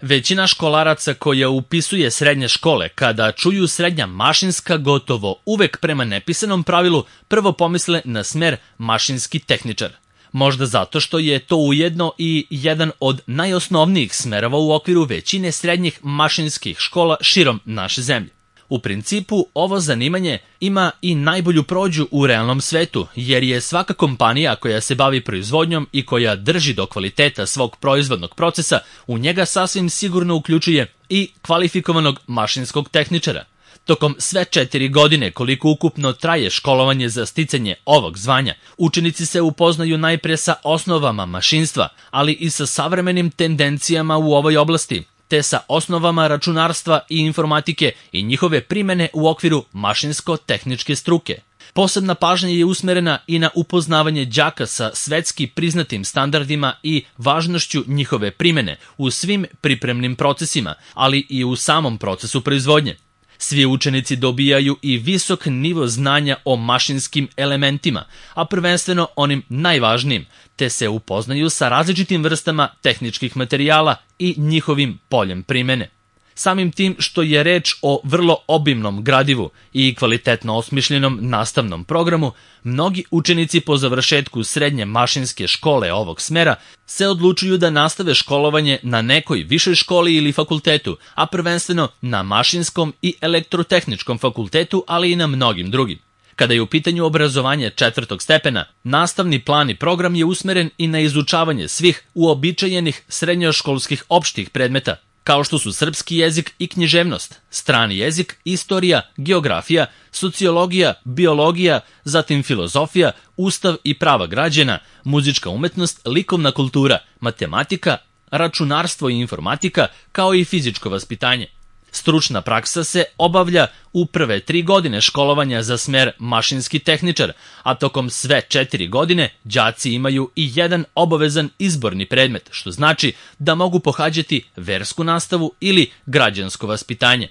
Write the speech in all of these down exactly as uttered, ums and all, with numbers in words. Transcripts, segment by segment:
Većina školaraca koja upisuje srednje škole, kada čuju srednja mašinska, gotovo uvek prema nepisanom pravilu prvo pomisle na smer mašinski tehničar. Možda zato što je to ujedno i jedan od najosnovnijih smerova u okviru većine srednjih mašinskih škola širom naše zemlje. U principu, ovo zanimanje ima i najbolju prođu u realnom svetu, jer je svaka kompanija koja se bavi proizvodnjom i koja drži do kvaliteta svog proizvodnog procesa, u njega sasvim sigurno uključuje i kvalifikovanog mašinskog tehničara. Tokom sve četiri godine koliko ukupno traje školovanje za sticanje ovog zvanja, učenici se upoznaju najpre sa osnovama mašinstva, ali i sa savremenim tendencijama u ovoj oblasti, te sa osnovama računarstva i informatike i njihove primene u okviru mašinsko-tehničke struke. Posebna pažnja je usmerena i na upoznavanje đaka sa svetski priznatim standardima i važnošću njihove primene u svim pripremnim procesima, ali i u samom procesu proizvodnje. Svi učenici dobijaju i visok nivo znanja o mašinskim elementima, a prvenstveno onim najvažnijim, te se upoznaju sa različitim vrstama tehničkih materijala i njihovim poljem primene. Samim tim što je reč o vrlo obimnom gradivu i kvalitetno osmišljenom nastavnom programu, mnogi učenici po završetku srednje mašinske škole ovog smera se odlučuju da nastave školovanje na nekoj višoj školi ili fakultetu, a prvenstveno na mašinskom i elektrotehničkom fakultetu, ali i na mnogim drugim. Kada je u pitanju obrazovanje četvrtog stepena, nastavni plan i program je usmeren i na izučavanje svih uobičajenih srednjoškolskih opštih predmeta, kao što su srpski jezik i književnost, strani jezik, istorija, geografija, sociologija, biologija, zatim filozofija, ustav i prava građana, muzička umetnost, likovna kultura, matematika, računarstvo i informatika, kao i fizičko vaspitanje. Stručna praksa se obavlja u prve tri godine školovanja za smer mašinski tehničar, a tokom sve četiri godine đaci imaju i jedan obavezan izborni predmet, što znači da mogu pohađati versku nastavu ili građansko vaspitanje.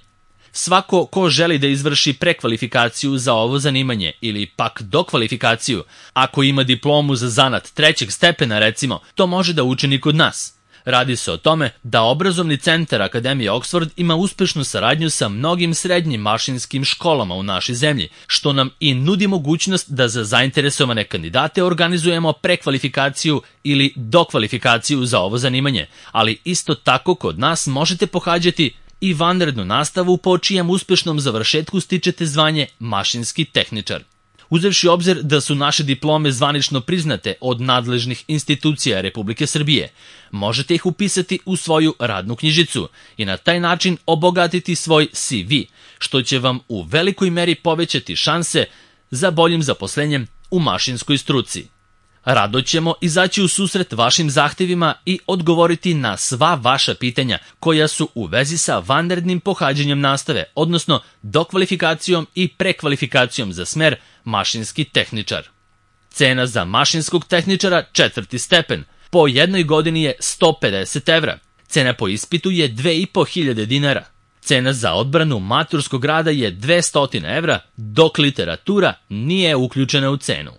Svako ko želi da izvrši prekvalifikaciju za ovo zanimanje ili pak dokvalifikaciju, ako ima diplomu za zanat trećeg stepena recimo, to može da učini kod nas. Radi se o tome da obrazovni centar Akademije Oxford ima uspešnu saradnju sa mnogim srednjim mašinskim školama u našoj zemlji, što nam i nudi mogućnost da za zainteresovane kandidate organizujemo prekvalifikaciju ili dokvalifikaciju za ovo zanimanje, ali isto tako kod nas možete pohađati i vanrednu nastavu po čijem uspešnom završetku stičete zvanje mašinski tehničar. Uzevši obzir da su naše diplome zvanično priznate od nadležnih institucija Republike Srbije, možete ih upisati u svoju radnu knjižicu i na taj način obogatiti svoj C V, što će vam u velikoj meri povećati šanse za boljim zaposlenjem u mašinskoj struci. Rado ćemo izaći u susret vašim zahtevima i odgovoriti na sva vaša pitanja koja su u vezi sa vanrednim pohađanjem nastave, odnosno dokvalifikacijom i prekvalifikacijom za smer mašinski tehničar. Cena za mašinskog tehničara četvrti stepen po jednoj godini je sto pedeset evra. Cena po ispitu je dve i po hiljade dinara. Cena za odbranu maturskog rada je dvesta evra, dok literatura nije uključena u cenu.